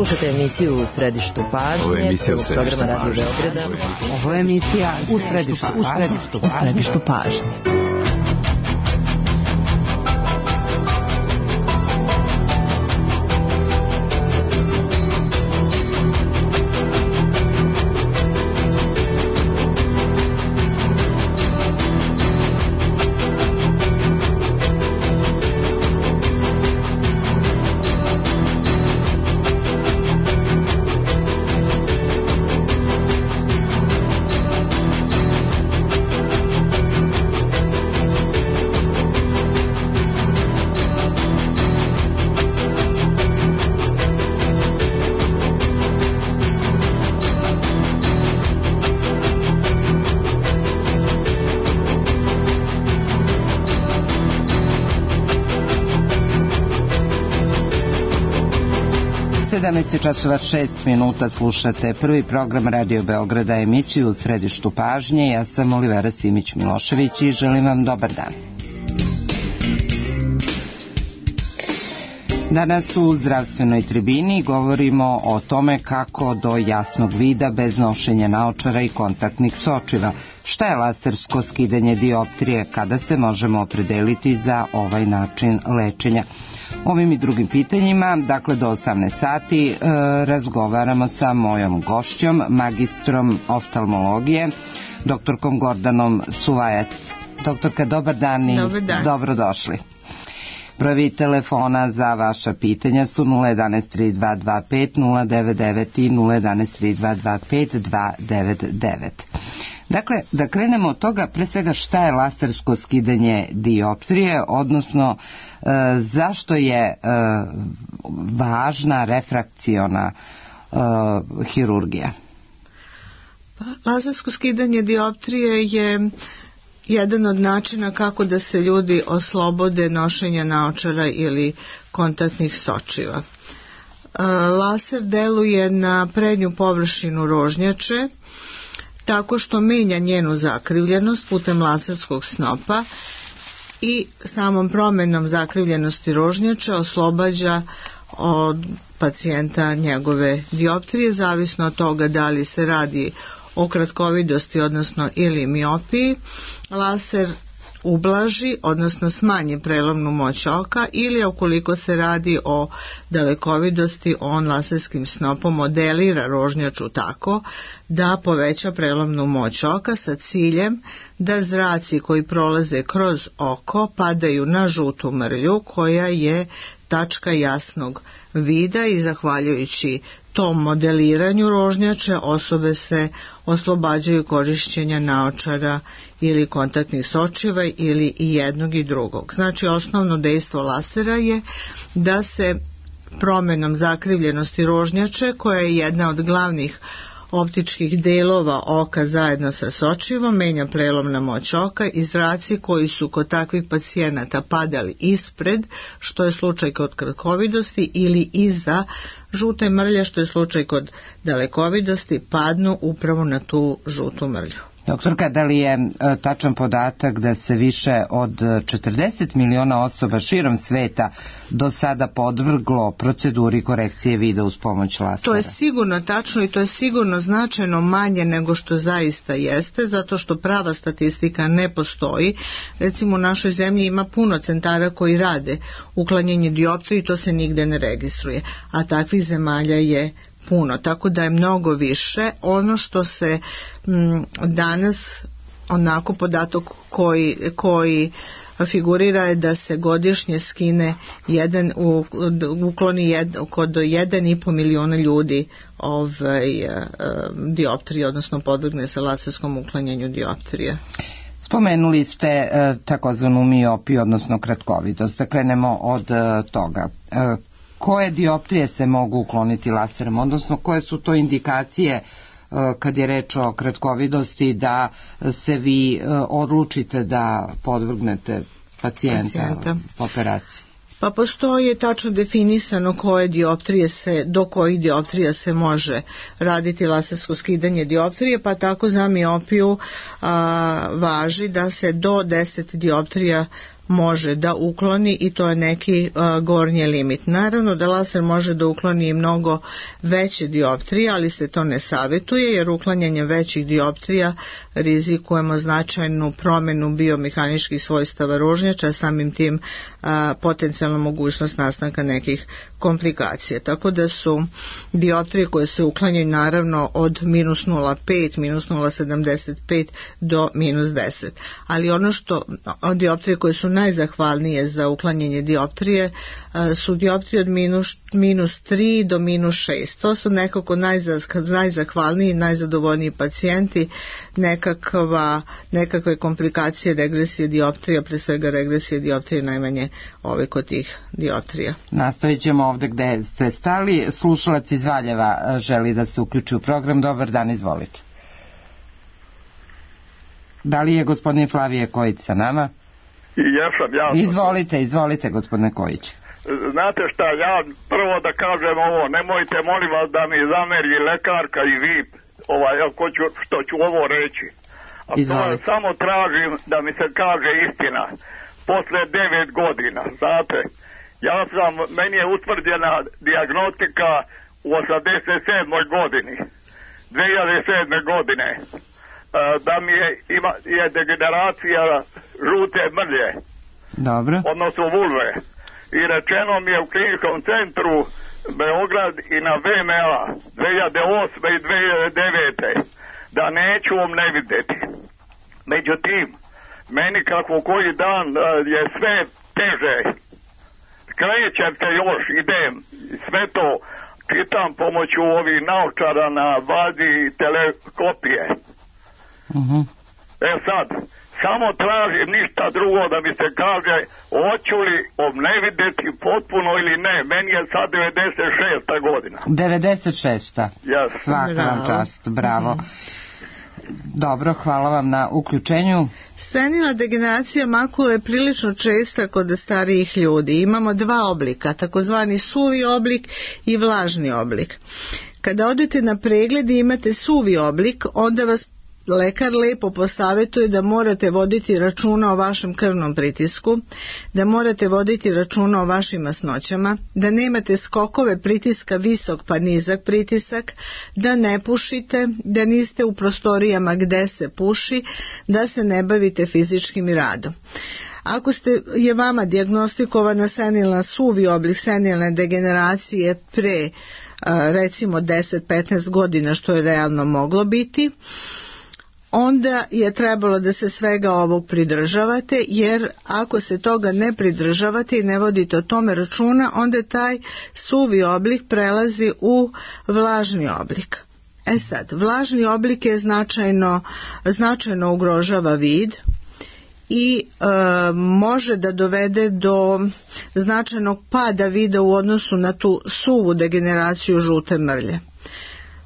Slušajte emisiju U središtu pažnje. Ovo je emisija U središtu programa Radio pažnje. Beograda. Ovo je emisija U središtu pažnje. Časova 6 minuta, slušate prvi program Radio Beograda, emisiju U središtu pažnje. Ja sam Olivera Simić-Milošević i želim vam dobar dan. Danas u zdravstvenoj tribini govorimo o tome kako do jasnog vida bez nošenja naočara i kontaktnih sočiva. Šta je lasersko skidanje dioptrije, kada se možemo opredeliti za ovaj način lečenja? Ovim i drugim pitanjima, dakle do 18 sati, razgovaramo sa mojom gošćom, magistrom oftalmologije, doktorkom Gordanom Suvajac. Doktorka, dobar dan i dobrodošli. Brojevi telefona za vaša pitanja su 011-3225-099 i 011-3225-299. Dakle, da krenemo od toga, pre svega šta je lasersko skidanje dioptrije, odnosno zašto je važna refrakciona hirurgija? Lasersko skidanje dioptrije je jedan od načina kako da se ljudi oslobode nošenja naočara ili kontaktnih sočiva. Laser deluje na prednju površinu rožnjače tako što menja njenu zakrivljenost putem laserskog snopa i samom promenom zakrivljenosti rožnjača oslobađa od pacijenta njegove dioptrije, zavisno od toga da li se radi o kratkovidosti, odnosno ili miopiji. Laser ublaži, odnosno smanji prelomnu moć oka, ili ukoliko se radi o dalekovidosti, on laserskim snopom modelira rožnjaču tako da poveća prelomnu moć oka sa ciljem da zraci koji prolaze kroz oko padaju na žutu mrlju koja je tačka jasnog vida i zahvaljujući tom modeliranju rožnjače osobe se oslobađaju korišćenja naočara ili kontaktnih sočiva ili i jednog i drugog. Znači, osnovno dejstvo lasera je da se promenom zakrivljenosti rožnjače, koja je jedna od glavnih optičkih delova oka zajedno sa sočivom, menja prelomna moć oka i zraci koji su kod takvih pacijenata padali ispred, što je slučaj kod kratkovidosti, ili iza žute mrlje, što je slučaj kod dalekovidosti, padnu upravo na tu žutu mrlju. Doktorka, da li je tačan podatak da se više od 40 miliona osoba širom sveta do sada podvrglo proceduri korekcije vida uz pomoć lasera? To je sigurno tačno i to je sigurno značajno manje nego što zaista jeste, zato što prava statistika ne postoji. Recimo, u našoj zemlji ima puno centara koji rade uklanjanje dioptrije i to se nigde ne registruje, a takvih zemalja je puno, tako da je mnogo više. Ono što se danas, onako podatak koji figurira je da se godišnje skine ukloni kod 1,5 miliona ljudi dioptrije, odnosno podvrgne se laserskom uklanjanju dioptrije. Spomenuli ste takozvanu miopiju, odnosno kratkovidost. Da krenemo od toga. Koje dioptrije se mogu ukloniti laserom, odnosno koje su to indikacije kad je reč o kratkovidosti da se vi odlučite da podvrgnete pacijenta operaciji? Pa postoji tačno definisano do kojih dioptrija se može raditi lasersko skidanje dioptrije, pa tako za miopiju važi da se do 10 dioptrija može da ukloni i to je neki gornji limit. Naravno da laser može da ukloni i mnogo veće dioptrije, ali se to ne savjetuje jer uklanjanjem većih dioptrija rizikujemo značajnu promjenu biomehaničkih svojstava ružnjača, samim tim potencijalna mogućnost nastanka nekih komplikacija. Tako da su dioptrije koje se uklanjaju naravno od minus 0,5, minus 0,75 do minus 10. Ali ono što dioptrije koje su najzahvalnije za uklanjanje dioptrije su dioptrije od minus 3 do minus 6. To su nekako najzahvalniji, najzadovoljniji pacijenti, nekakve komplikacije regresije dioptrija, pre svega regresije dioptrije najmanje kod tih dioptrija. Nastavit ćemo ovdje gde ste stali. Slušalac iz Valjeva želi da se uključi u program. Dobar dan, izvolite. Da li je gospodin Flavije Kojić sa nama? Jesam. Izvolite gospodine Kojić. Znate šta, ja prvo da kažem ovo, nemojte molim vas da mi zameri lekarka i vi što ću ovo reći. A to samo tražim da mi se kaže istina. Posle 9 godina, znate, meni je utvrđena dijagnostika u 87. godini, 2007. godine, da mi je degeneracija žute mrlje. Dobro. Odnosno vulve. I rečeno mi je u kliničkom centru Beograd i na VMA 2008. i 2009. da neću vam ne vidjeti. Međutim, meni kako koji dan je sve teže. Krećem se još, idem, sve to čitam pomoću ovih naočara na bazi teleskopije. Sad, samo tražim ništa drugo da mi se kaže hoću li obnevidjeti potpuno ili ne. Meni je sad 96. godina. 96. Yes. Svaka vam čast, bravo. Dobro, hvala vam na uključenju. Senilna degeneracija makule je prilično česta kod starijih ljudi. Imamo dva oblika, takozvani suvi oblik i vlažni oblik. Kada odete na pregled i imate suvi oblik, onda vas lekar lepo posavjetuje da morate voditi računa o vašem krvnom pritisku, da morate voditi računa o vašim masnoćama, da nemate skokove pritiska visok pa nizak pritisak, da ne pušite, da niste u prostorijama gde se puši, da se ne bavite fizičkim radom. Ako je vama dijagnostikovana senilna suvi oblik senilne degeneracije pre recimo 10-15 godina, što je realno moglo biti, onda je trebalo da se svega ovog pridržavate, jer ako se toga ne pridržavate i ne vodite o tome računa, onda taj suvi oblik prelazi u vlažni oblik. Sad, vlažni oblik je značajno ugrožava vid i može da dovede do značajnog pada vida u odnosu na tu suvu degeneraciju žute mrlje.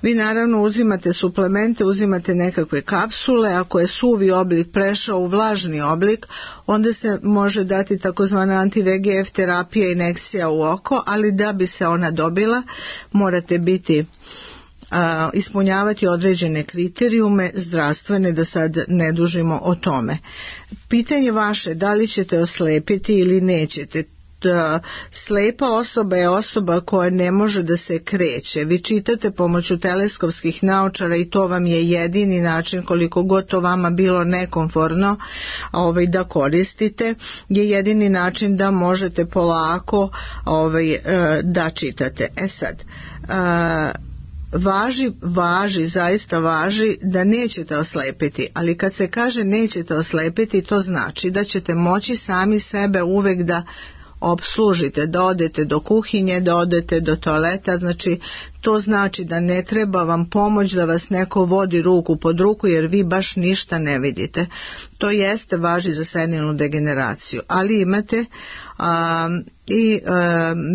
Vi naravno uzimate suplemente, uzimate nekakve kapsule, ako je suvi oblik prešao u vlažni oblik, onda se može dati takozvana anti-VEGF terapija, injekcija u oko, ali da bi se ona dobila morate ispunjavati određene kriterijume zdravstvene, da sad ne dužimo o tome. Pitanje vaše, da li ćete oslepiti ili nećete. Slepa osoba je osoba koja ne može da se kreće. Vi čitate pomoću teleskopskih naočara i to vam je jedini način, koliko god to vama bilo nekomfortno da koristite, je jedini način da možete polako da čitate. Sad, zaista važi da nećete oslepiti, ali kad se kaže nećete oslepiti, to znači da ćete moći sami sebe uvek da opslužite, da odete do kuhinje, da odete do toaleta, znači to znači da ne treba vam pomoć da vas neko vodi ruku pod ruku jer vi baš ništa ne vidite. To jeste važi za senilnu degeneraciju, ali imate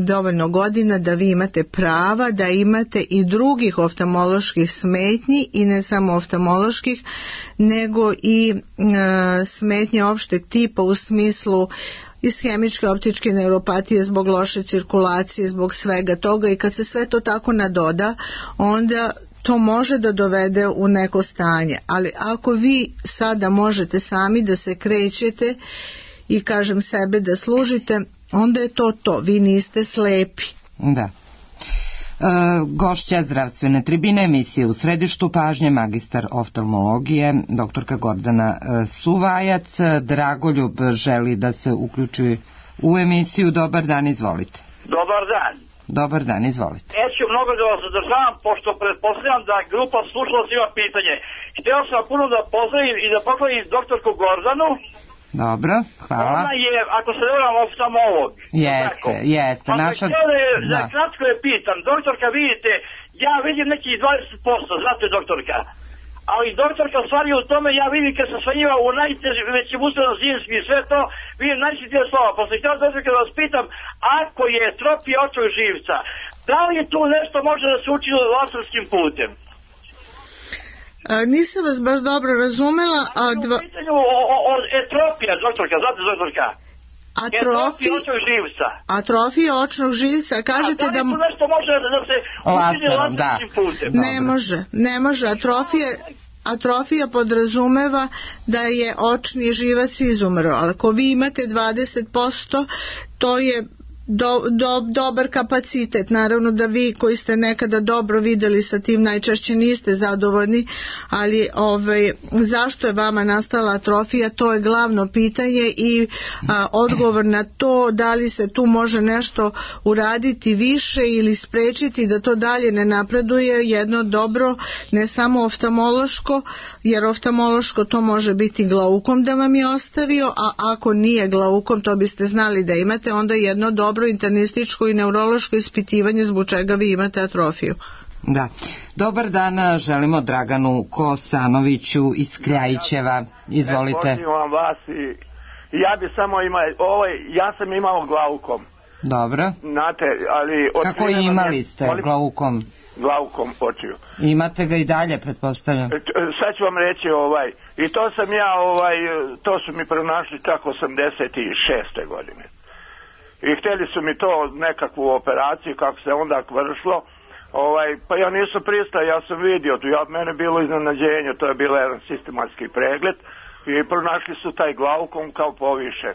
dovoljno godina da vi imate prava da imate i drugih oftalmoloških smetnji i ne samo oftalmoloških, nego i smetnje opšteg tipa u smislu ishemičke optičke neuropatije zbog loše cirkulacije, zbog svega toga, i kad se sve to tako nadoda, onda to može da dovede u neko stanje. Ali ako vi sada možete sami da se krećete i kažem sebe da služite, onda je to, vi niste slepi. Da. Gošća zdravstvene tribine emisije U središtu pažnje, magistar oftalmologije, doktorka Gordana Suvajac. Dragoljub želi da se uključi u emisiju. Dobar dan, izvolite. Dobar dan. Dobar dan, izvolite. Neću mnogo da vas zadržavam, pošto pretpostavljam da grupa slušalaca ima pitanje. Htio sam puno da pozdravim i da pohvalim doktorku Gordanu. Dobro, hvala. Ona je, ako se ne varam, oftalmolog. Jeste. Naša... Da kratko je pitam, doktorka, vidite, ja vidim nekih 20%, znate doktorka, ali doktorka stvari u tome, ja vidim kad sam svanjiva u najvećim ustanom zimskim i sve to, vidim najsvjetije slova, pa sam htio doktorka da vas pitam, ako je tropija očnog živca, da li tu nešto može da se učini laserskim putem? Nisam vas baš dobro razumela. U pitanju etropija, doktorka, znate doktorka? Atrofija očnog živca. Kažete da li tu nešto može da se učini laserskim putem? Ne može. Atrofija podrazumeva da je očni živac izumro, ali ako vi imate 20%, to je dobar kapacitet. Naravno da vi koji ste nekada dobro videli sa tim najčešće niste zadovoljni, ali zašto je vama nastala atrofija, to je glavno pitanje i odgovor na to da li se tu može nešto uraditi više ili sprečiti da to dalje ne napreduje, jedno dobro, ne samo oftalmološko, jer oftalmološko to može biti glaukom da vam je ostavio, a ako nije glaukom, to biste znali da imate, onda jedno dobro internističko i neurološko ispitivanje zbog čega vi imate atrofiju. Da. Dobar dan, želimo Draganu Kosanoviću iz Kljajićeva. Izvolite. Pozivam vas i ja bi samo ja sam imao glaukom. Dobro. Znate, ali kako imali ste glaukom? Glaukom očiju. Imate ga i dalje, pretpostavljam. Sad ću vam reći i to sam ja to su mi pronašli čak 86. godine. I htjeli su mi to nekakvu operaciju kako se onda vršilo, pa ja nisam pristao, ja sam vidio, mene bilo iznenađenje, to je bilo jedan sistematski pregled i pronašli su taj glaukom kao poviše.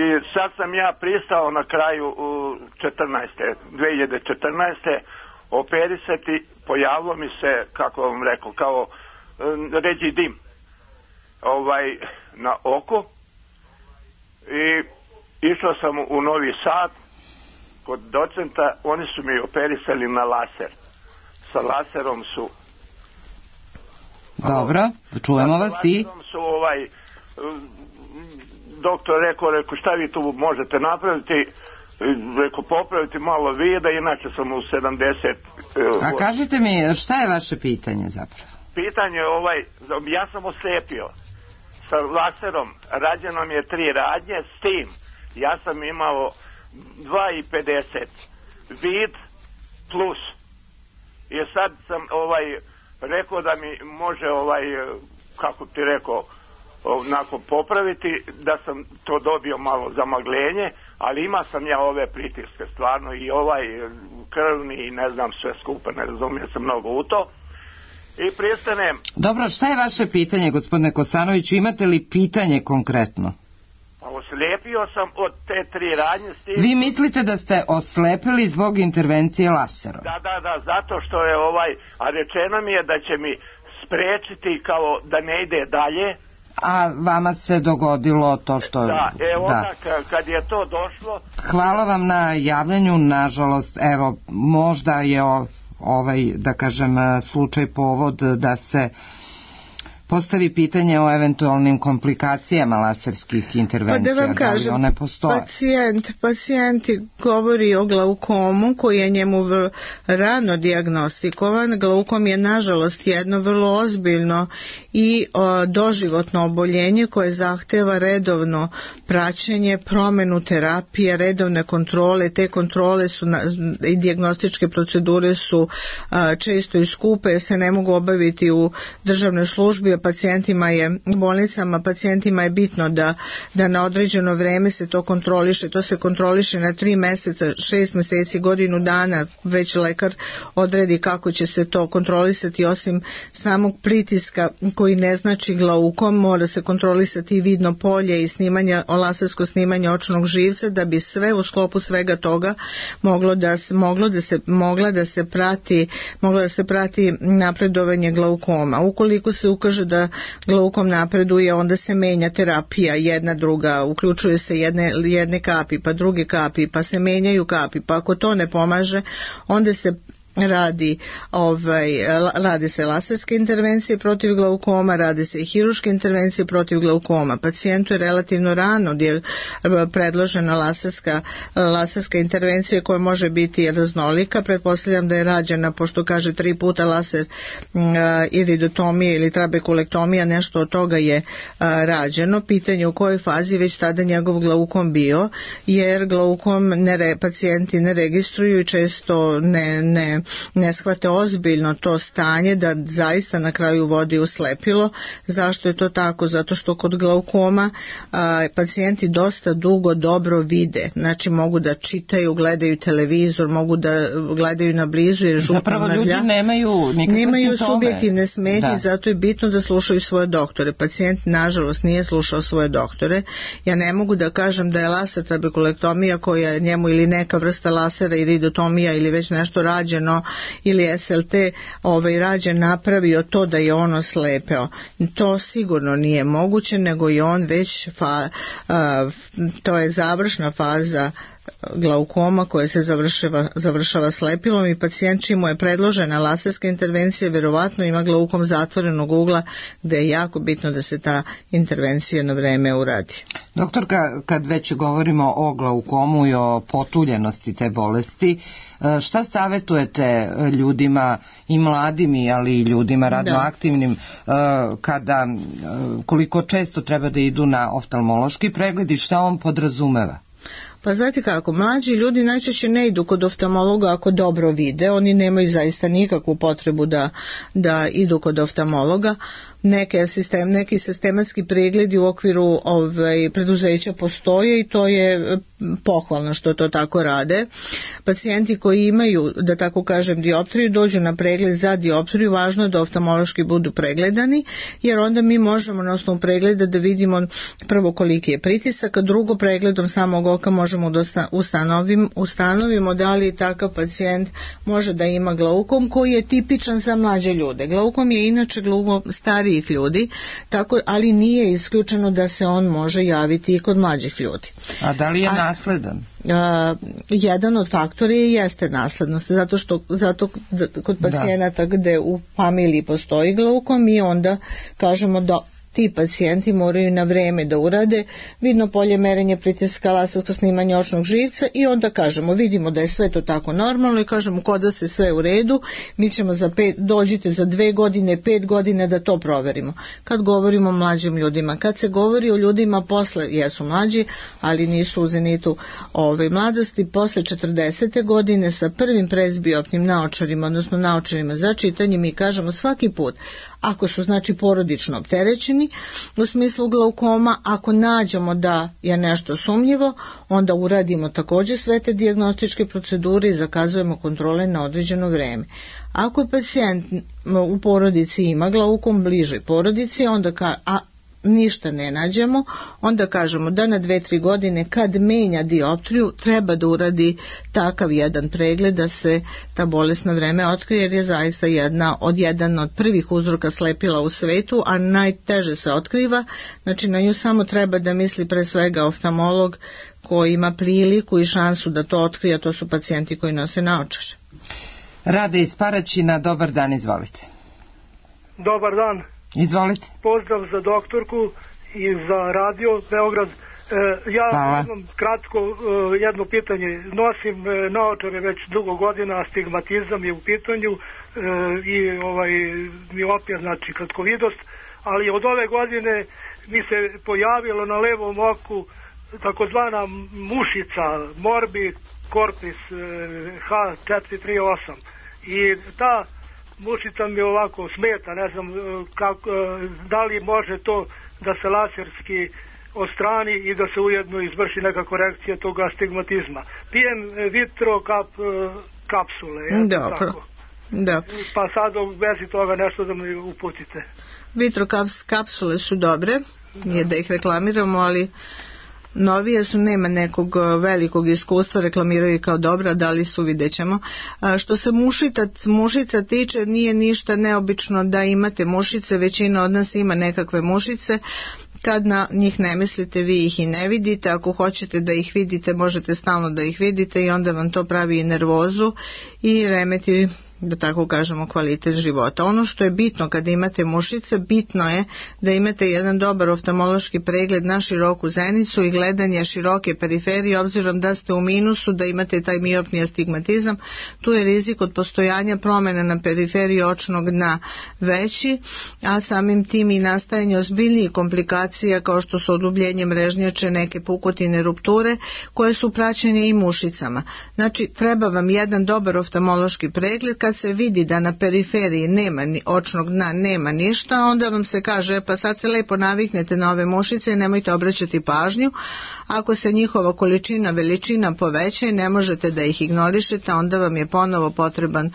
I sad sam ja pristao na kraju 2014. operisati, pojavilo mi se, kako vam rekao, kao ređidim na oko i išao sam u Novi Sad kod docenta, oni su mi operisali na laser. Sa laserom su... Dobro, čujemo vas i... Doktor rekao, šta vi tu možete napraviti? Rekao, popraviti malo vida, inače sam u 70... A kažite mi, šta je vaše pitanje zapravo? Pitanje ja sam oslepio. Sa laserom rađeno mi je 3 radnje, s tim ja sam imao 2,50 vid plus. I sad sam rekao da mi može kako ti rekao onako popraviti, da sam to dobio malo zamaglenje, ali ima sam ja ove pritiske stvarno i krvni i ne znam sve skupa, ne razumijem se mnogo u to. I pristanem. Dobro, šta je vaše pitanje, gospodine Kosanoviću? Imate li pitanje konkretno? Oslepio sam od te 3 radnje. Vi mislite da ste oslepili zbog intervencije laserom? Da, zato što je a rečeno mi je da će mi sprečiti kao da ne ide dalje. A vama se dogodilo to što... Da, onda kad je to došlo... Hvala vam na javljanju, nažalost, evo, možda je da kažem, slučaj povod da se postavi pitanje o eventualnim komplikacijama laserskih intervencija. Pa da vam kažem, one postoje. Pacijent govori o glaukomu koji je njemu rano dijagnostikovan. Glaukom je nažalost jedno vrlo ozbiljno i doživotno oboljenje koje zahteva redovno praćenje, promenu terapije, redovne kontrole. Te kontrole su i dijagnostičke procedure su često i skupe jer se ne mogu obaviti u državnoj službi, pacijentima je, u bolnicama pacijentima je bitno da na određeno vreme se to kontroliše. To se kontroliše na 3 meseca, 6 meseci, godinu dana, već lekar odredi kako će se to kontrolisati. Osim samog pritiska koji ne znači glaukom, mora se kontrolisati i vidno polje i lasersko snimanje očnog živca, da bi sve u sklopu svega toga moglo da se prati napredovanje glaukoma. Ukoliko se ukaže da glaukom napreduje, onda se menja terapija, jedna druga, uključuje se jedne kapi, pa druge kapi, pa se menjaju kapi, pa ako to ne pomaže, onda se radi se laserske intervencije protiv glaukoma, radi se i hiruške intervencije protiv glaukoma. Pacijentu je relativno rano predložena laserska intervencija koja može biti raznolika. Pretpostavljam da je rađena, pošto kaže 3 puta laser iridotomija ili trabekulektomija, nešto od toga je rađeno. Pitanje u kojoj fazi već tada njegov glaukom bio, jer glaukom pacijenti ne registruju i često ne shvate ozbiljno to stanje da zaista na kraju vodi u slepilo. Zašto je to tako? Zato što kod glaukoma pacijenti dosta dugo dobro vide, znači mogu da čitaju, gledaju televizor, mogu da gledaju na blizu jer zapravo ljudi nemaju subjektivne smetnje, zato je bitno da slušaju svoje doktore. Pacijent nažalost nije slušao svoje doktore. Ja ne mogu da kažem da je laser trabekulektomija koja njemu ili neka vrsta lasera iridotomija ili već nešto rađeno ili SLT rađen napravio to da je ono slepeo. To sigurno nije moguće, nego je on već to je završna faza glaukoma koja se završava slepilom i pacijent čim mu je predložena laserska intervencija verovatno ima glaukom zatvorenog ugla, gde je jako bitno da se ta intervencija na vreme uradi. Doktorka, kad već govorimo o glaukomu i o potuljenosti te bolesti, šta savjetujete ljudima i mladim, ali i ljudima radnoaktivnim, koliko često treba da idu na oftalmološki pregled i šta on podrazumeva? Pa znate kako, mlađi ljudi najčešće ne idu kod oftalmologa ako dobro vide, oni nemaju zaista nikakvu potrebu da idu kod oftalmologa. Neki sistematski pregledi u okviru preduzeća postoje i to je pohvalno što to tako rade. Pacijenti koji imaju, da tako kažem, dioptriju, dođu na pregled za dioptriju, važno je da oftalmološki budu pregledani, jer onda mi možemo na osnovu pregleda da vidimo prvo koliki je pritisak, a drugo pregledom samog oka možemo da ustanovimo da li takav pacijent može da ima glaukom koji je tipičan za mlađe ljude. Glaukom je inače glaukom starijih ljudi, ali nije isključeno da se on može javiti i kod mlađih ljudi. A da li je nasledan? Jedan od faktora jeste naslednost, zato kod pacijenata gde u familiji postoji glaukom mi onda kažemo da ti pacijenti moraju na vreme da urade vidno polje, merenje pritiska, lasersko snimanje očnog živca i onda kažemo, vidimo da je sve to tako normalno i kažemo kod da se sve u redu, mi ćemo dođite za 2 godine, 5 godina da to proverimo. Kad govorimo o mlađim ljudima, kad se govori o ljudima posle, jesu mlađi, ali nisu u zenitu mladosti, posle 40. godine sa prvim presbioptnim naočarima, odnosno naočarima za čitanje, mi kažemo svaki put, ako su znači porodično opterećeni u smislu glaukoma, ako nađemo da je nešto sumnjivo, onda uradimo također sve te dijagnostičke procedure i zakazujemo kontrole na određeno vreme. Ako je pacijent u porodici ima glaukom, bližoj porodici, onda ništa ne nađemo, onda kažemo da na 2-3 godine kad menja dioptriju treba da uradi takav jedan pregled da se ta bolest na vreme otkrije, jer je zaista jedan od prvih uzroka slepila u svetu, a najteže se otkriva, znači na nju samo treba da misli pre svega oftalmolog koji ima priliku i šansu da to otkrije, a to su pacijenti koji nose naočare. Rade iz Paraćina, dobar dan, izvolite. Dobar dan. Izvolite. Pozdrav za doktorku i za radio Beograd. Ja imam kratko jedno pitanje. Nosim naočare već dugo godina, astigmatizam je u pitanju i miopija, znači kratkovidost, ali od ove godine mi se pojavilo na levom oku takozvana mušica, morbid corpus H438 i ta mušica mi ovako smeta, ne znam da li može to da se laserski odstrani i da se ujedno izvrši neka korekcija toga astigmatizma. Pijem kapsule. Dobro. Da. Pa sad u vezi toga nešto da mi uputite. Kapsule su dobre, nije da ih reklamiramo, ali novije su, nema nekog velikog iskustva, reklamiraju kao dobra, da li su, vidjet ćemo. Što se mušica tiče, nije ništa neobično da imate mušice, većina od nas ima nekakve mušice. Kad na njih ne mislite, vi ih i ne vidite. Ako hoćete da ih vidite, možete stalno da ih vidite i onda vam to pravi i nervozu i remeti, da tako kažemo, kvalitet života. Ono što je bitno kada imate mušice, bitno je da imate jedan dobar oftalmološki pregled na široku zenicu i gledanje široke periferije, obzirom da ste u minusu, da imate taj miopni astigmatizam. Tu je rizik od postojanja promjena na periferiji očnog dna veći, a samim tim i nastajanje ozbiljnijih komplikacija kao što su odubljenje mrežnjače, neke pukotine, rupture koje su praćene i mušicama. Znači, treba vam jedan dobar oftalmološki pregled. Kad se vidi da na periferiji nema očnog dna, nema ništa, onda vam se kaže pa sad se lepo naviknete na ove mušice i nemojte obraćati pažnju. Ako se njihova količina, veličina poveća i ne možete da ih ignorišete, onda vam je ponovo potreban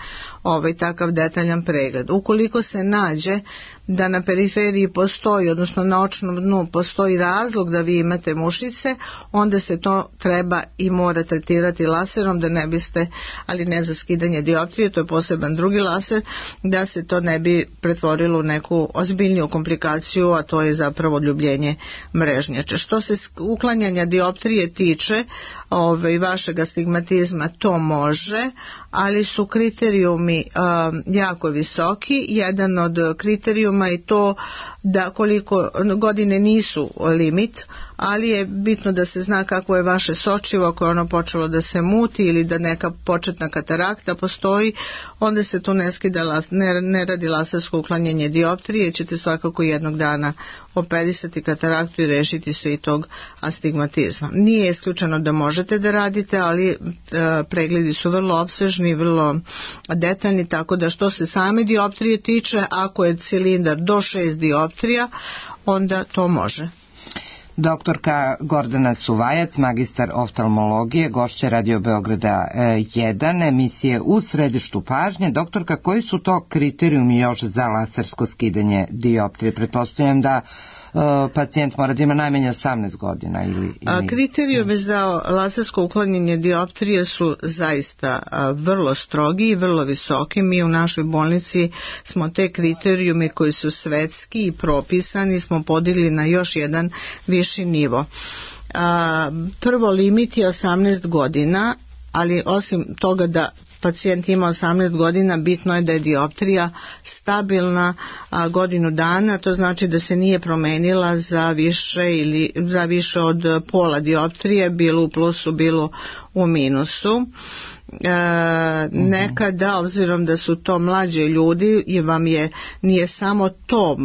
takav detaljan pregled. Ukoliko se nađe da na periferiji postoji, odnosno na očnom dnu postoji razlog da vi imate mušice, onda se to treba i mora tretirati laserom, da ne biste, ali ne za skidanje dioptrije, to je poseban drugi laser, da se to ne bi pretvorilo u neku ozbiljniju komplikaciju, a to je zapravo odljubljenje mrežnjača. Što se uklanjanja dioptrije tiče, vašeg astigmatizma, to može, ali su kriterijumi jako visoki. Jedan od kriterijuma je to da koliko godine nisu limit, ali je bitno da se zna kako je vaše sočivo, ako je ono počelo da se muti ili da neka početna katarakta postoji, onda se tu ne radi lasersko uklanjanje dioptrije, ćete svakako jednog dana operisati kataraktu i rešiti se i tog astigmatizma. Nije isključeno da možete da radite, ali pregledi su vrlo opsežni, vrlo detaljni, tako da što se same dioptrije tiče, ako je cilindar do 6 dioptrija, onda to može. Doktorka Gordana Suvajac, magistar oftalmologije, gošća Radio Beograda 1, emisije U središtu pažnje. Doktorka, koji su to kriterijumi još za lasersko skidanje dioptrije? Pretpostavljam da pacijent mora da ima najmanje 18 godina ili... Kriterijumi za lasersko uklanjanje dioptrije su zaista vrlo strogi i vrlo visoki. Mi u našoj bolnici smo te kriterijume koji su svetski i propisani smo podigli na još jedan viši nivo. Prvo, limit je 18 godina, ali osim toga da pacijent ima 18 godina, bitno je da je dioptrija stabilna godinu dana, to znači da se nije promenila za više od pola dioptrije, bilo u plusu, bilo u minusu. Nekada, obzirom da su to mlađe ljudi, i vam nije samo to,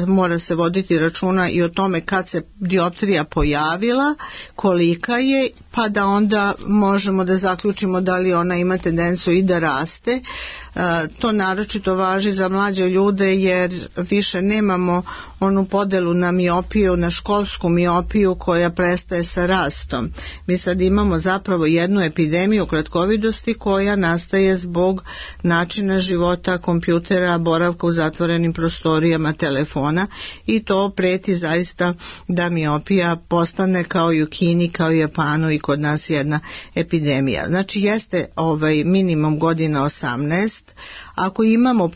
mora se voditi računa i o tome kad se dioptrija pojavila, kolika je, pa da onda možemo da zaključimo da li ona ima tendenciju i da raste. To naročito važi za mlađe ljude jer više nemamo onu podelu na miopiju, na školsku miopiju koja prestaje sa rastom. Mi sad imamo zapravo jednu epidemiju kratkovidosti koja nastaje zbog načina života, kompjutera, boravka u zatvorenim prostorijama, telefona, i to preti zaista da miopija postane kao i u Kini, kao i Japanu i kod nas jedna epidemija. Znači jeste minimum godina 18. Ako imamo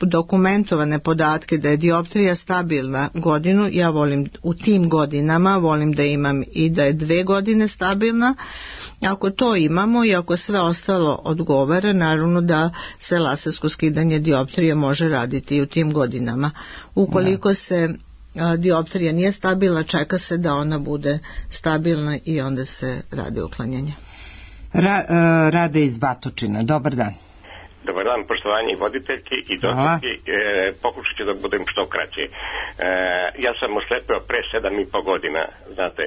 dokumentovane podatke da je dioptrija stabilna godinu, ja volim u tim godinama, volim da imam i da je 2 godine stabilna. Ako to imamo i ako sve ostalo odgovara, naravno da se lasersko skidanje dioptrije može raditi i u tim godinama. Ukoliko se dioptrija nije stabilna, čeka se da ona bude stabilna i onda se radi uklanjanje. Rade iz Batočina, dobar dan. Dobar dan, poštovanje voditeljki i doktorki, pokušat ću da budem što kraće. Ja sam oslepio pre 7,5 godina, znate,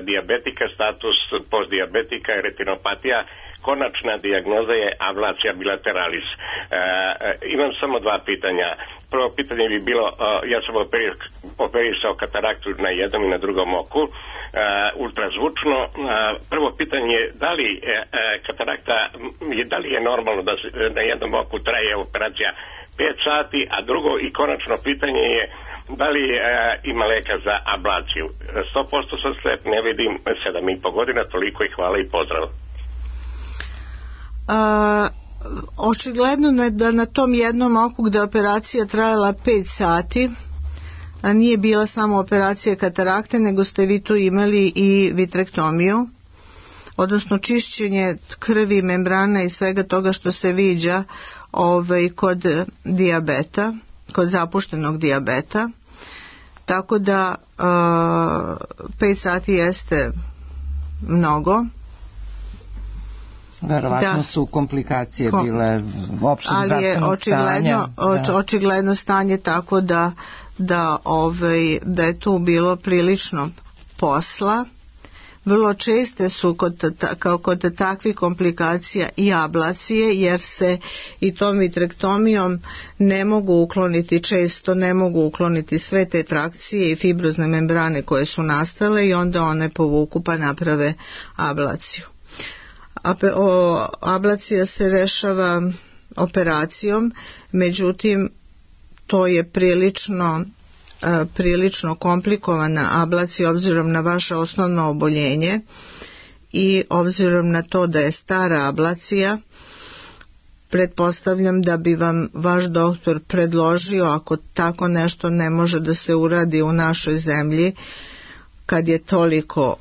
dijabetika, status postdijabetika i retinopatija, konačna dijagnoza je ablacija bilateralis. Imam samo dva pitanja. Prvo pitanje bi bilo, ja sam operisao kataraktu na jednom i na drugom oku, ultrazvučno. Prvo pitanje je da li katarakta, da li je normalno da na jednom oku traje operacija 5 sati, a drugo i konačno pitanje je da li ima leka za ablaciju. 100% sam slep, ne vidim, 7,5 godina, toliko i hvala i pozdrav. Očigledno da na tom jednom oku gde operacija trajala 5 sati, a nije bila samo operacija katarakte, nego ste vi tu imali i vitrektomiju, odnosno čišćenje krvi, membrana i svega toga što se viđa kod dijabeta, kod zapuštenog dijabeta. Tako da 5 sati jeste mnogo. Verovatno su komplikacije bile opšteg zdravstvenog stanja. Ali je očigledno stanje tako da je tu bilo prilično posla. Vrlo česte su kod takvih komplikacija i ablacije, jer se i tom vitrektomijom ne mogu ukloniti sve te trakcije i fibrozne membrane koje su nastale i onda one povuku pa naprave ablaciju. Ablacija se rešava operacijom, međutim to je prilično komplikovana ablacija obzirom na vaše osnovno oboljenje i obzirom na to da je stara ablacija. Pretpostavljam da bi vam vaš doktor predložio, ako tako nešto ne može da se uradi u našoj zemlji, kad je toliko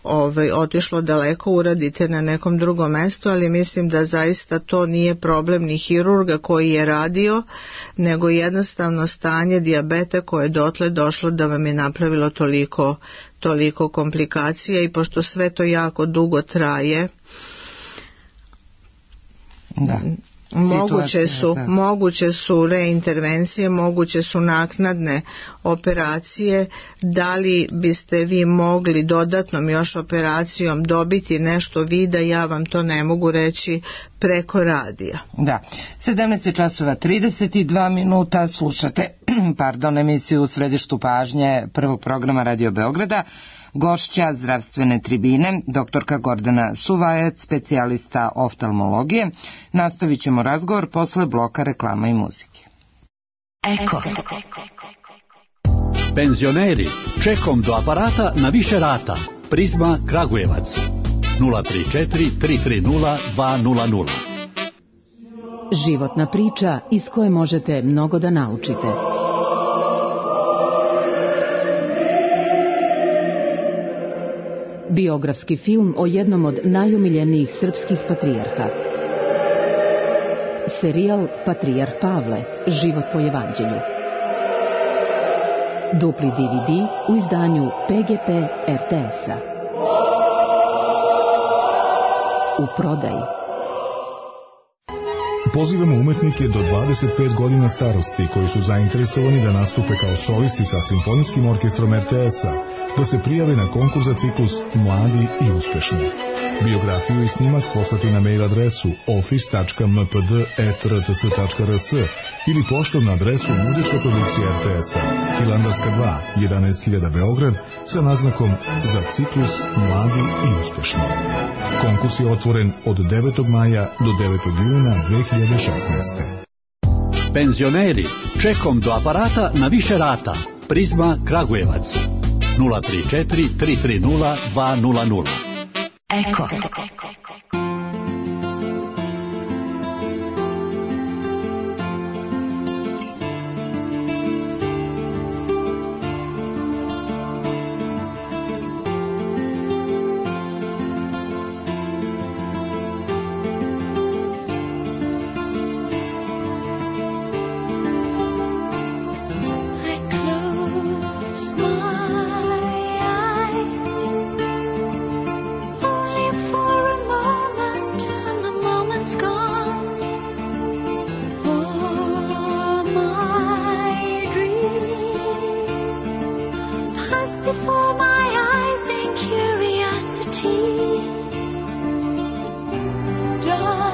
otišlo daleko, uradite na nekom drugom mestu, ali mislim da zaista to nije problem ni hirurga koji je radio, nego jednostavno stanje dijabeta koje je dotle došlo da vam je napravilo toliko komplikacija, i pošto sve to jako dugo traje, moguće su reintervencije, moguće su naknadne operacije. Da li biste vi mogli dodatnom još operacijom dobiti nešto vida, ja vam to ne mogu reći preko radija. Da, 17:32 slušate emisiju U središtu pažnje prvog programa Radio Beograda. Gošća zdravstvene tribine, doktorka Gordana Suvajac, specijalista oftalmologije. Nastavit ćemo razgovor posle bloka reklama i muzike. Eko. Penzioneri, čekom do aparata na više rata. Prizma Kragujevac 034 330 200. Životna priča iz koje možete mnogo da naučite. Biografski film o jednom od najomiljenijih srpskih patrijarha. Serijal Patrijarh Pavle, život po evanđelju. Dupli DVD u izdanju PGP RTS-a. U prodaji. Pozivamo umetnike do 25 godina starosti koji su zainteresovani da nastupe kao solisti sa simfonijskim orkestrom RTS-a, da se prijave na konkurs za ciklus Mladi i uspešni. Biografiju i snimak poslati na mail adresu office.mpd@rts.rs ili poštom na adresu Muzička produkcija RTS-a, Hilandarska 2, 11.000 Beograd, sa naznakom za ciklus Mladi i uspešni. Konkurs je otvoren od 9. maja do 9. juna 2016. Penzioneri, čekom do aparata na više rata. Prizma Kragujevac 034 330 200. Eko. Before my eyes in curiosity, dark.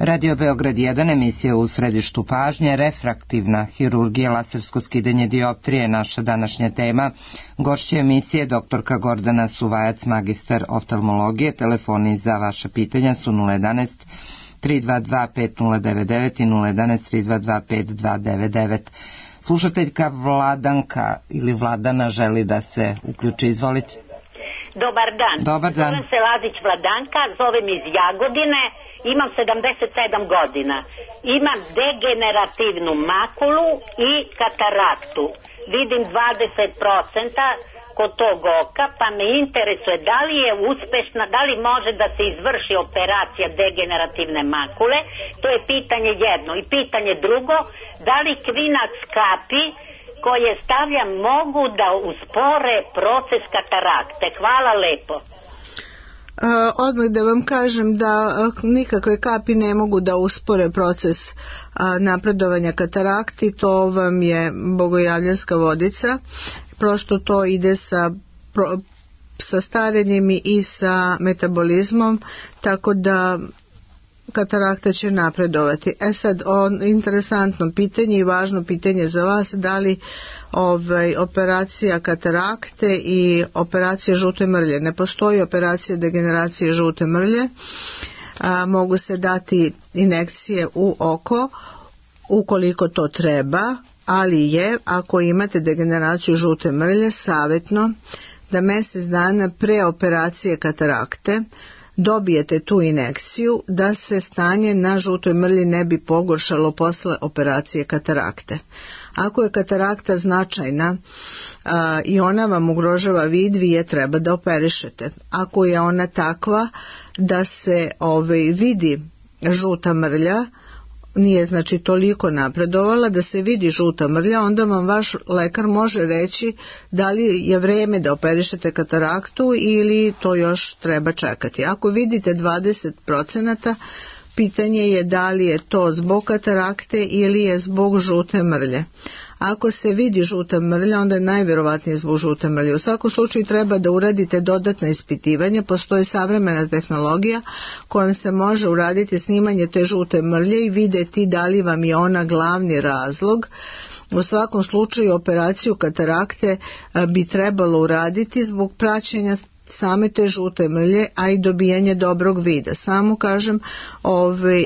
Radio Beograd 1, emisija u središtu pažnje, refraktivna hirurgija, lasersko skidanje dioptrije, naša današnja tema. Gošća emisije doktorka Gordana Suvajac, magistar oftalmologije. Telefoni za vaše pitanja su 011 322 5099 i 011 322 5299. Slušateljka Vladanka ili Vladana želi da se uključi, izvolite. Dobar dan. Dobar dan. Zovem se Lazić Vladanka, zovem iz Jagodine, imam 77 godina. Imam degenerativnu makulu i kataraktu. Vidim 20% kod tog oka, pa me interesuje da li je uspešna, da li može da se izvrši operacija degenerativne makule, to je pitanje jedno. I pitanje drugo, da li kvinac kapi koje stavljam mogu da uspore proces katarakte. Hvala lepo. Odmah da vam kažem da nikakve kapi ne mogu da uspore proces napredovanja katarakti, to vam je bogojavljanska vodica, prosto to ide sa starenjem i sa metabolizmom, tako da katarakta će napredovati. Sad, interesantno pitanje i važno pitanje za vas, da li operacija katarakte i operacija žute mrlje. Ne postoji operacija degeneracije žute mrlje, mogu se dati injekcije u oko ukoliko to treba, ali je, ako imate degeneraciju žute mrlje, savjetno da mjesec dana pre operacije katarakte dobijete tu injekciju da se stanje na žutoj mrlji ne bi pogoršalo posle operacije katarakte. Ako je katarakta značajna i ona vam ugrožava vid, vi je treba da operišete. Ako je ona takva da se vidi žuta mrlja, nije znači toliko napredovala da se vidi žuta mrlja, onda vam vaš lekar može reći da li je vreme da operišete kataraktu ili to još treba čekati. Ako vidite 20%, pitanje je da li je to zbog katarakte ili je zbog žute mrlje. Ako se vidi žuta mrlja, onda je najvjerovatnije zbog žute mrlje. U svakom slučaju treba da uradite dodatna ispitivanja. Postoji savremena tehnologija kojom se može uraditi snimanje te žute mrlje i vidjeti da li vam je ona glavni razlog. U svakom slučaju operaciju katarakte bi trebalo uraditi zbog praćenja same te žute mrlje, a i dobijanje dobrog vida. Samo kažem,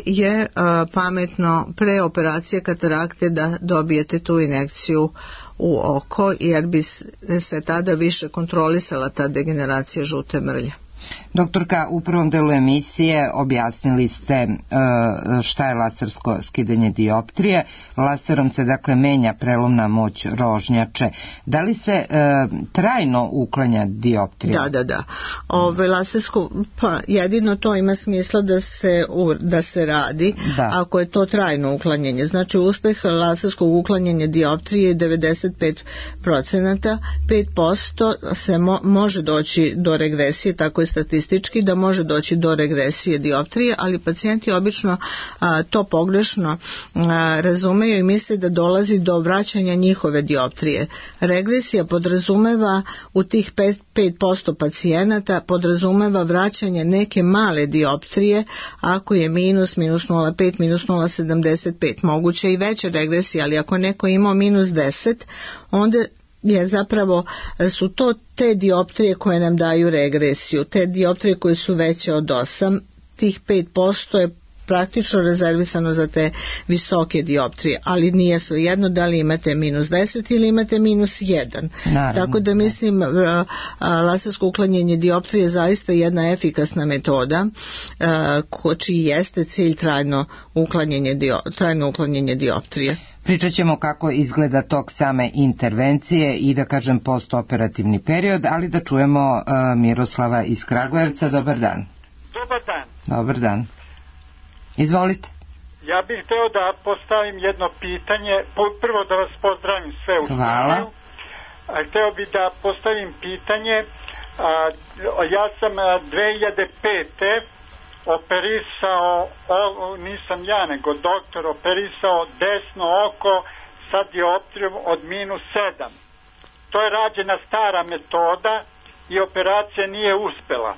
je pametno pre operacije katarakte da dobijete tu injekciju u oko, jer bi se tada više kontrolisala ta degeneracija žute mrlje. Doktorka, u prvom delu emisije objasnili ste šta je lasersko skidanje dioptrije. Laserom se dakle menja prelomna moć rožnjače. Da li se trajno uklanja dioptrija? Da. Lasersko, pa jedino to ima smisla da se radi ako je to trajno uklanjanje. Znači uspeh laserskog uklanjanja dioptrije je 95%, 5% se može doći do regresije, tako je statistički da može doći do regresije dioptrije, ali pacijenti obično to pogrešno razumeju i misle da dolazi do vraćanja njihove dioptrije. Regresija podrazumeva u tih 5% pacijenata podrazumeva vraćanje neke male dioptrije, ako je minus 0,5, minus 0,75, moguće i veća regresija, ali ako neko ima minus 10, onda je zapravo su to te dioptrije koje nam daju regresiju. Te dioptrije koje su veće od 8, tih 5% je praktično rezervisano za te visoke dioptrije, ali nije svejedno da li imate minus 10 ili imate minus 1. Naravno, tako da mislim lasersko uklanjanje dioptrije je zaista jedna efikasna metoda čiji jeste cilj trajno uklanjanje dioptrije. Pričat ćemo kako izgleda tok same intervencije i da kažem postoperativni period, ali da čujemo Miroslava iz Kragujevca. Dobar dan. Dobar dan. Dobar dan. Izvolite. Ja bih hteo da postavim jedno pitanje. Prvo da vas pozdravim sve u Hvala. studiju. Hteo bih da postavim pitanje. Ja sam 2005. operisao, nisam ja nego doktor, operisao desno oko sa dioptrijom od -7. To je rađena stara metoda i operacija nije uspela.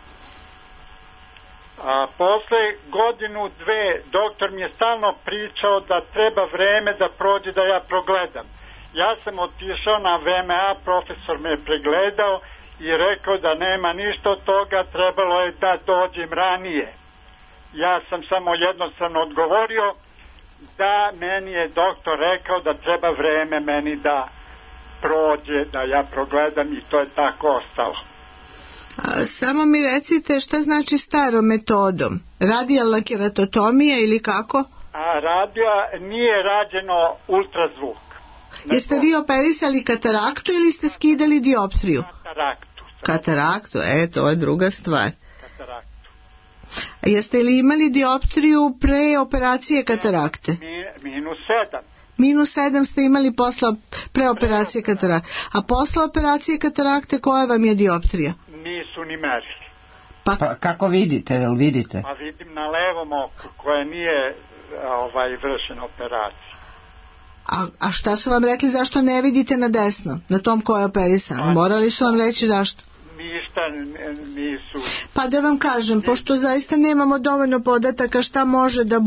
A posle godinu, dve, doktor mi je stalno pričao da treba vreme da prođe da ja progledam. Ja sam otišao na VMA, profesor me je pregledao i rekao da nema ništa od toga, trebalo je da dođem ranije. Ja sam samo jednostavno odgovorio da meni je doktor rekao da treba vreme meni da prođe, da ja progledam i to je tako ostalo. Samo mi recite šta znači starom metodom? Radijalna keratotomija ili kako? Nije rađeno ultrazvuk. Jeste vi operisali kataraktu ili ste skidali dioptriju? Kataraktu, to je druga stvar. Kataraktu. Jeste li imali dioptriju pre operacije katarakte? -7 ste imali pre operacije katarakte. A posle operacije katarakte koja vam je dioptrija? Nisu ni merili. Pa kako vidite, jel vidite? Pa vidim na levom oku koje nije vršena operacija. A šta su vam rekli zašto ne vidite na desno, na tom koje je operisano? Morali su vam reći zašto? Ništa nisu. Pa da vam kažem, pošto zaista nemamo dovoljno podataka šta može da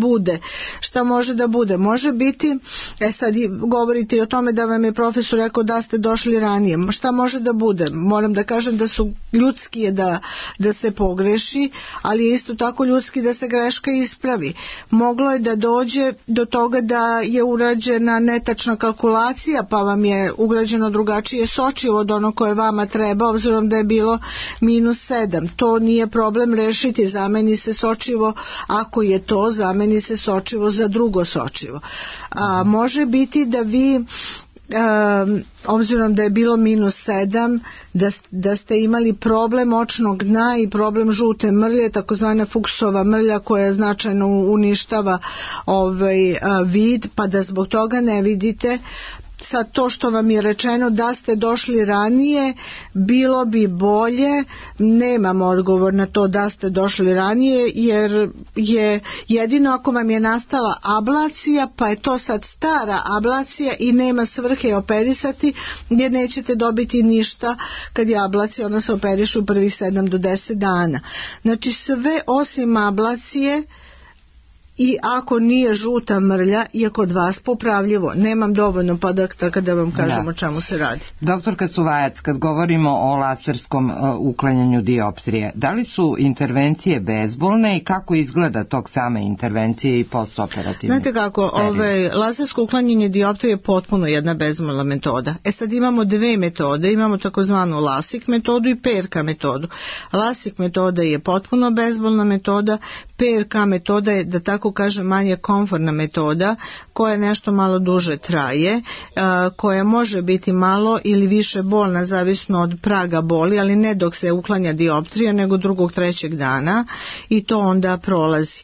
bude. Može biti, sad govorite o tome da vam je profesor rekao da ste došli ranije. Šta može da bude? Moram da kažem da su ljudski je da se pogreši, ali je isto tako ljudski da se greška ispravi. Moglo je da dođe do toga da je urađena netačna kalkulacija, pa vam je ugrađeno drugačije sočivo od ono koje vama treba, obzirom da je bilo -7. To nije problem rešiti, zameni se sočivo, ako je to, zameni se sočivo za drugo sočivo. Može biti da vi, obzirom da je bilo -7, da ste imali problem očnog dna i problem žute mrlje, takozvana Fuchsova mrlja koja značajno uništava vid, pa da zbog toga ne vidite. Sad to što vam je rečeno da ste došli ranije, bilo bi bolje, nemamo odgovor na to da ste došli ranije, jer je jedino ako vam je nastala ablacija, pa je to sad stara ablacija i nema svrhe operisati, jer nećete dobiti ništa kad je ablacija, ona se operiše u prvih 7 do 10 dana. Znači sve osim ablacije, i ako nije žuta mrlja je kod vas popravljivo. Nemam dovoljno podataka da vam kažem o čemu se radi. Doktorka Suvajac, kad govorimo o laserskom uklanjanju dioptrije, da li su intervencije bezbolne i kako izgleda tok same intervencije i postoperativne? Znate kako, lasersko uklanjanje dioptrije je potpuno jedna bezbolna metoda. Sad imamo dve metode, imamo takozvanu LASIK metodu i PRK metodu. LASIK metoda je potpuno bezbolna metoda, PRK metoda je, da tako kažem, manje komfortna metoda koja nešto malo duže traje, koja može biti malo ili više bolna zavisno od praga boli, ali ne dok se uklanja dioptrija, nego drugog, trećeg dana i to onda prolazi.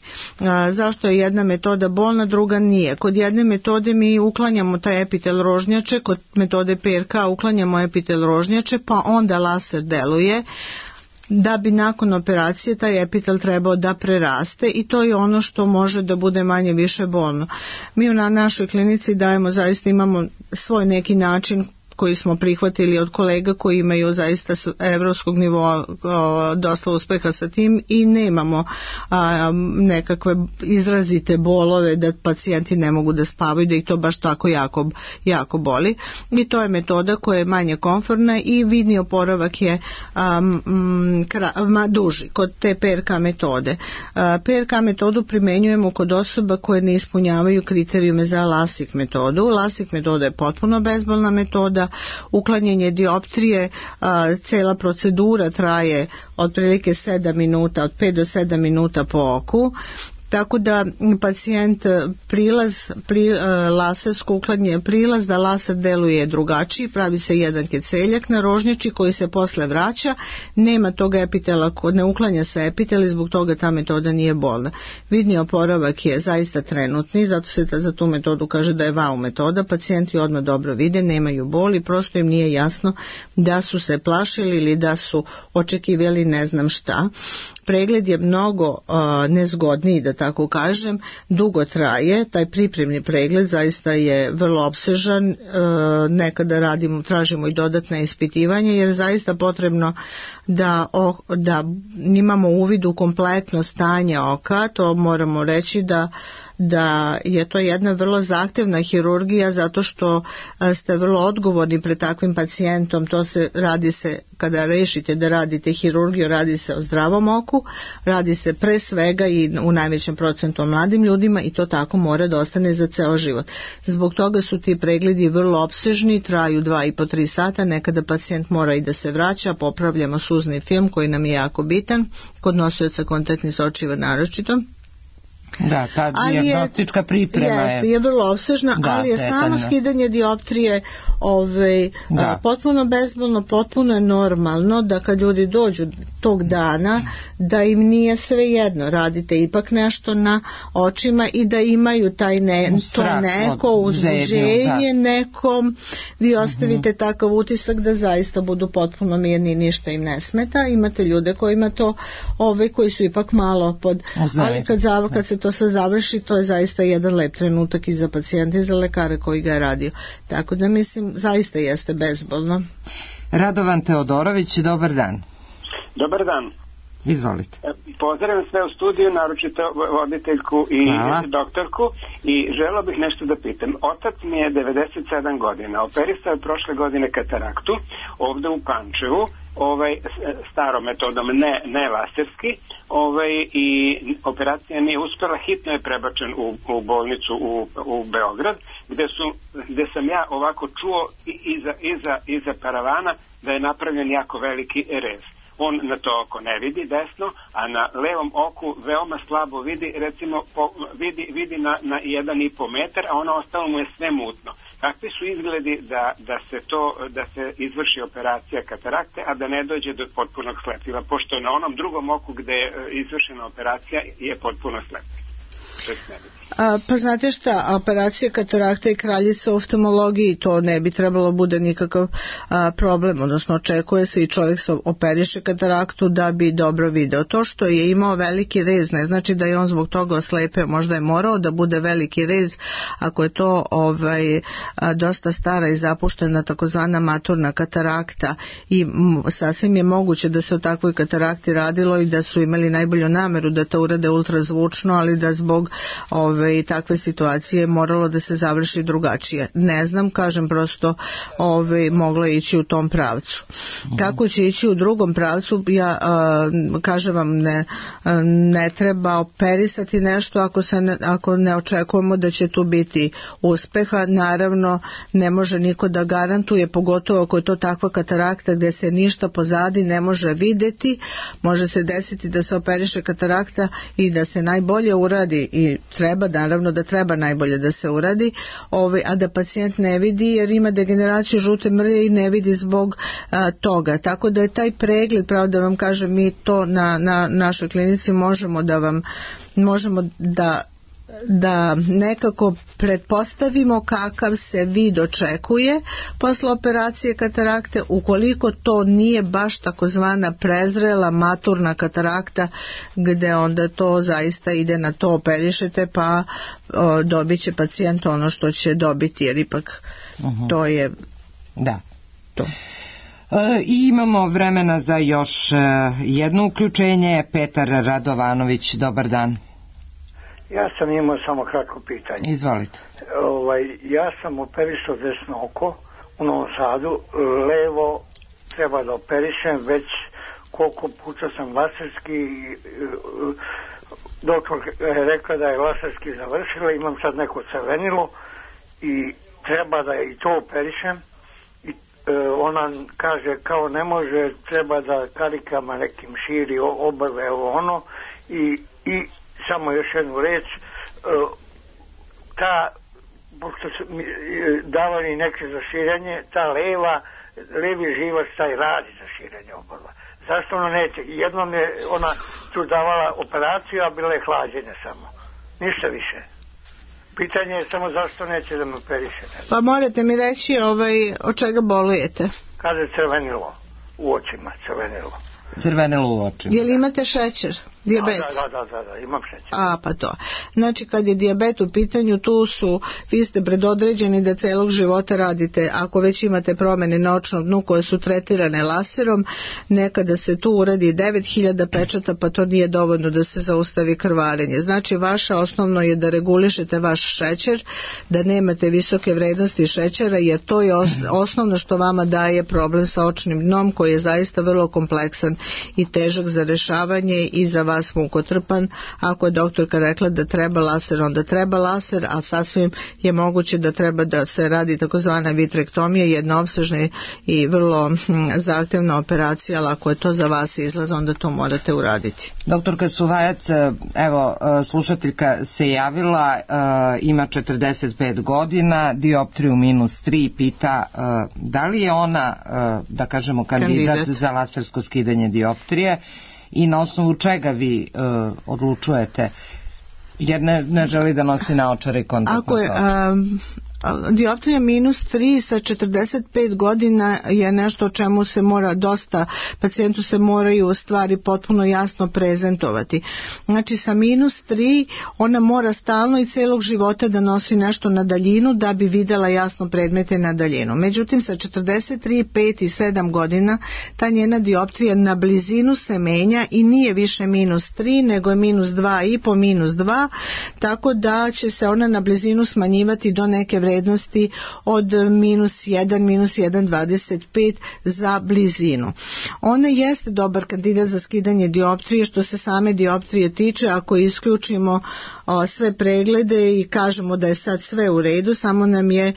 Zašto je jedna metoda bolna, druga nije? Kod jedne metode mi uklanjamo taj epitel rožnjače, kod metode PRK uklanjamo epitel rožnjače, pa onda laser deluje da bi nakon operacije taj epitel trebao da preraste i to je ono što može da bude manje više bolno. Mi na našoj klinici dajemo, zaista imamo svoj neki način koji smo prihvatili od kolega koji imaju zaista s evropskog nivoa dosta uspeha sa tim i nemamo nekakve izrazite bolove da pacijenti ne mogu da spavaju, da ih to baš tako jako boli i to je metoda koja je manje komfortna i vidni oporavak je duži kod te PRK metode. PRK metodu primenjujemo kod osoba koje ne ispunjavaju kriterijume za LASIK metodu. LASIK metoda je potpuno bezbolna metoda, uklanjanje dioptrije, cela procedura traje otprilike 7 minuta, od 5 do 7 minuta po oku. Tako da pacijent lasersko uklanjanje prilaz da laser deluje drugačiji, pravi se jedan keceljak na rožnjači koji se posle vraća, nema toga epitela, ne uklanja se epitel i zbog toga ta metoda nije bolna. Vidni oporavak je zaista trenutni, zato se za tu metodu kaže da je wow metoda, pacijenti odmah dobro vide, nemaju boli, prosto im nije jasno da su se plašili ili da su očekivali ne znam šta. pregled je mnogo nezgodniji, da tako kažem, dugo traje, taj pripremni pregled zaista je vrlo opsežan, nekada tražimo i dodatna ispitivanja jer je zaista potrebno da imamo uvid u kompletno stanje oka. To moramo reći da je to jedna vrlo zahtevna hirurgija zato što ste vrlo odgovorni pred takvim pacijentom. Radi se kada rešite da radite hirurgiju, radi se o zdravom oku, radi se pre svega i u najvećem procentu o mladim ljudima i to tako mora da ostane za ceo život. Zbog toga su ti pregledi vrlo opsežni, traju 2,5-3 sata, nekada pacijent mora i da se vraća, popravljamo suzni film koji nam je jako bitan, kod nosioca kontaktnih sočiva naročito. Da, ta dijagnostička priprema je vrlo opsežna, ali je samo skidanje dioptrije potpuno bezbolno, potpuno je normalno da kad ljudi dođu tog dana da im nije svejedno, radite ipak nešto na očima i da imaju to neko uzbuđenje, nekom vi ostavite takav utisak da zaista budu potpuno mirni i ništa im ne smeta. Imate ljude kojima to koji su ipak malo ali kad se to sve završi, to je zaista jedan lep trenutak i za pacijenta i za lekara koji ga je radio. Tako da mislim, zaista jeste bezbolno. Radovan Teodorović, dobar dan. Dobar dan. Izvolite. Pozdravim sve u studiju, naročito voditeljku i doktorku i želeo bih nešto da pitam. Otac mi je 97 godina, operisao je prošle godine kataraktu ovde u Pančevu, starom metodom, ne laserski, i operacija nije uspela, hitno je prebačen u bolnicu u Beograd, gde sam ja ovako čuo iza paravana da je napravljen jako veliki rez. On na to oko ne vidi desno, a na levom oku veoma slabo vidi, recimo vidi na 1,5 metar, a ono ostalo mu je sve mutno. Kakvi su izgledi da se izvrši operacija katarakte, a da ne dođe do potpunog slepila, pošto na onom drugom oku gde je izvršena operacija je potpuno slep? Pa znate šta, operacija katarakta i kraljica u oftalmologiji, to ne bi trebalo bude nikakav problem, odnosno očekuje se i čovjek se operiše kataraktu da bi dobro video. To što je imao veliki rez ne znači da je on zbog toga oslepeo, možda je morao da bude veliki rez ako je to dosta stara i zapuštena takozvana maturna katarakta i sasvim je moguće da se o takvoj katarakti radilo i da su imali najbolju nameru da to urade ultrazvučno, ali da zbog takve situacije moralo da se završi drugačije. Ne znam, kažem prosto moglo je ići u tom pravcu. Kako će ići u drugom pravcu, ja kažem vam ne treba operisati nešto ako ne očekujemo da će tu biti uspeha. Naravno ne može niko da garantuje, pogotovo ako je to takva katarakta gde se ništa pozadi ne može videti. Može se desiti da se operiše katarakta i da se najbolje uradi i naravno da treba najbolje da se uradi, a da pacijent ne vidi jer ima degeneraciju žute mrlje i ne vidi zbog toga. Tako da je taj pregled, pravo da vam kažem, mi to na našoj klinici možemo da nekako pretpostavimo kakav se vid očekuje posle operacije katarakte, ukoliko to nije baš takozvana prezrela maturna katarakta gde onda to zaista ide na to operišete pa dobit će pacijent ono što će dobiti jer ipak to je to. I imamo vremena za još jedno uključenje. Petar Radovanović, dobar dan. Ja sam imao samo kratko pitanje. Izvolite. Ja sam operisao desno oko u Novom Sadu, levo treba da operišem, već koliko puta sam laserski, doktor je rekla da je laserski završila, imam sad neko crvenilo i treba da i to operišem. Ona kaže kao ne može, treba da karikama nekim širi obrve ono i samo još jednu reč, pošto su davali neke za širenje, ta levi živac taj radi za širenje obrva. Zašto ona neće? Jednom je ona tu davala operaciju, a bilo je hlađenje samo. Ništa više. Pitanje je samo zašto neće da me operiše. Pa morate mi reći od čega bolujete? Kaže crvenilo, u očima crvenilo. Crvene u očima. Je li imate šećer? Dijabet? Da, imam šećer. Pa to. Znači kad je dijabet u pitanju, vi ste predodređeni da celog života radite, ako već imate promjene na očnom dnu koje su tretirane laserom, nekada se tu uradi 9000 pečata, pa to nije dovoljno da se zaustavi krvarenje. Znači vaše osnovno je da regulišete vaš šećer, da nemate visoke vrednosti šećera, jer to je osnovno što vama daje problem sa očnim dnom, koji je zaista vrlo kompleksan i težak za rešavanje i za vas mukotrpan. Ako je doktorka rekla da treba laser, onda treba laser, a sasvim je moguće da treba da se radi takozvana vitrektomija, jedna opsežna i vrlo zahtevna operacija, ali ako je to za vas izlaz, onda to morate uraditi. Doktorka Suvajac, evo, slušateljka se javila, ima 45 godina, dioptriju -3, pita da li je ona, da kažemo, kandidat za lasersko skidanje dioptrije i na osnovu čega vi odlučujete, jer ne želi da nosi naočare i kontaktno sočivo. Dioptrija -3 sa 45 godina je nešto o čemu se mora dosta, pacijentu se moraju stvari potpuno jasno prezentovati. Znači sa -3 ona mora stalno i celog života da nosi nešto na daljinu da bi videla jasno predmete na daljinu. Međutim sa 43, 5 i 7 godina ta njena dioptrija na blizinu se menja i nije više -3 nego je -2,5, -2, tako da će se ona na blizinu smanjivati do neke vrednosti od -1, -1,25 za blizinu. Ona jeste dobar kandidat za skidanje dioptrije što se same dioptrije tiče, ako isključimo sve preglede i kažemo da je sad sve u redu, samo nam je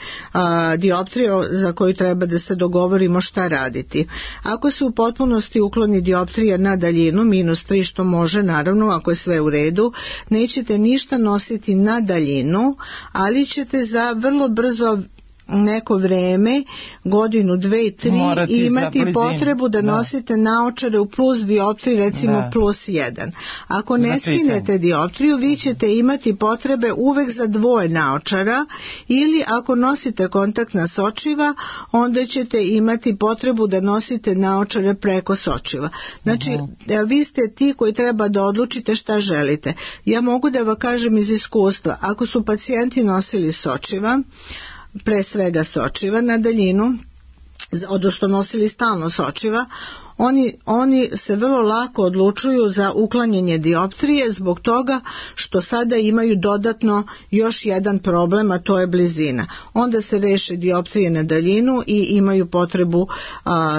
dioptrija za koju treba da se dogovorimo šta raditi. Ako se u potpunosti ukloni dioptrija na daljinu, -3, što može naravno ako je sve u redu, nećete ništa nositi na daljinu, ali ćete za vrlo brzo neko vreme, godinu, 2, 3 imati potrebu da nosite naočare u plus dioptriji, recimo +1. Ako ne skinete dioptriju, vi ćete imati potrebe uvek za dvoje naočara, ili ako nosite kontaktna sočiva, onda ćete imati potrebu da nosite naočare preko sočiva. Znači, vi ste ti koji treba da odlučite šta želite. Ja mogu da vam kažem iz iskustva, ako su pacijenti nosili sočiva, pre svega sočiva na daljinu, odnosno nosili stalno sočiva, oni se vrlo lako odlučuju za uklanjanje dioptrije zbog toga što sada imaju dodatno još jedan problem, a to je blizina. Onda se reše dioptrije na daljinu i imaju potrebu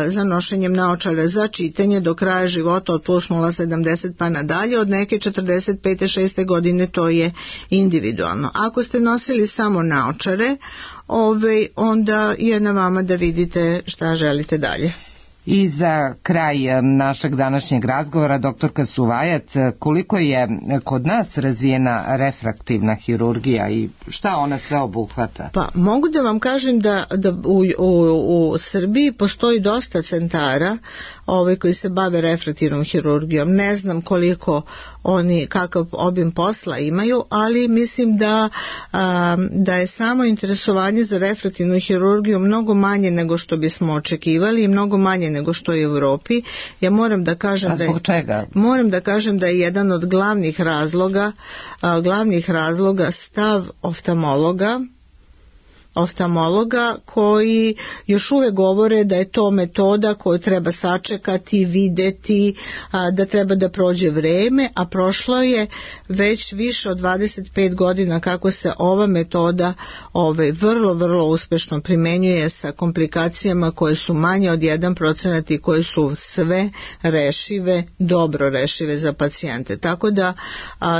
za nošenjem naočara za čitanje do kraja života od plus 0,70 pa nadalje, od neke 45. 6. godine to je individualno. Ako ste nosili samo naočare, onda je na vama da vidite šta želite dalje. I za kraj našeg današnjeg razgovora, doktorka Suvajac, koliko je kod nas razvijena refraktivna hirurgija i šta ona sve obuhvata? Pa mogu da vam kažem da u Srbiji postoji dosta centara koji se bave refraktivnom hirurgijom. Ne znam koliko oni, kakav obim posla imaju, ali mislim da je samo interesovanje za refraktivnu hirurgiju mnogo manje nego što bismo očekivali i mnogo manje nego što je u Europi. Ja moram da kažem moram da kažem da je jedan od glavnih razloga stav oftalmologa koji još uvek govore da je to metoda koju treba sačekati, videti, da treba da prođe vreme, a prošlo je već više od 25 godina kako se ova metoda vrlo, vrlo uspešno primenjuje sa komplikacijama koje su manje od 1% i koje su sve rešive, dobro rešive za pacijente. Tako da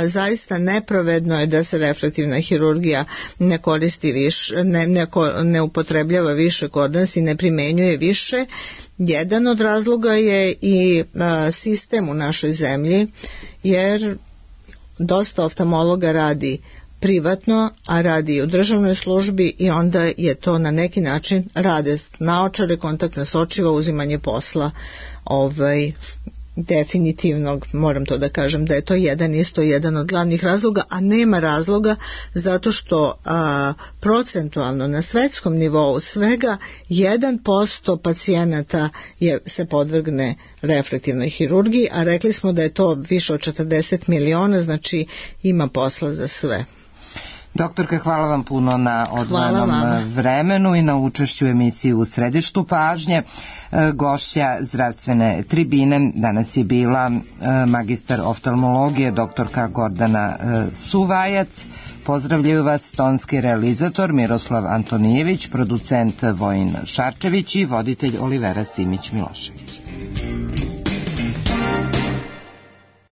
zaista nepravedno je da se refraktivna hirurgija ne koristi više, ne upotrebljava više kod nas i ne primenjuje više. Jedan od razloga je i sistem u našoj zemlji, jer dosta oftalmologa radi privatno, a radi i u državnoj službi i onda je to na neki način rade naočare, kontaktna sočiva, uzimanje posla definitivno moram to da kažem da je to isto jedan od glavnih razloga, a nema razloga zato što procentualno na svetskom nivou svega 1% pacijenata se podvrgne refraktivnoj hirurgiji, a rekli smo da je to više od 40 miliona, znači ima posla za sve. Doktorka, hvala vam puno na odvojenom vremenu i na učešću u emisiji U središtu pažnje. Gošća zdravstvene tribine danas je bila magistar oftalmologije doktorka Gordana Suvajac. Pozdravljaju vas tonski realizator Miroslav Antonijević, producent Vojin Šarčević i voditelj Olivera Simić-Milošević.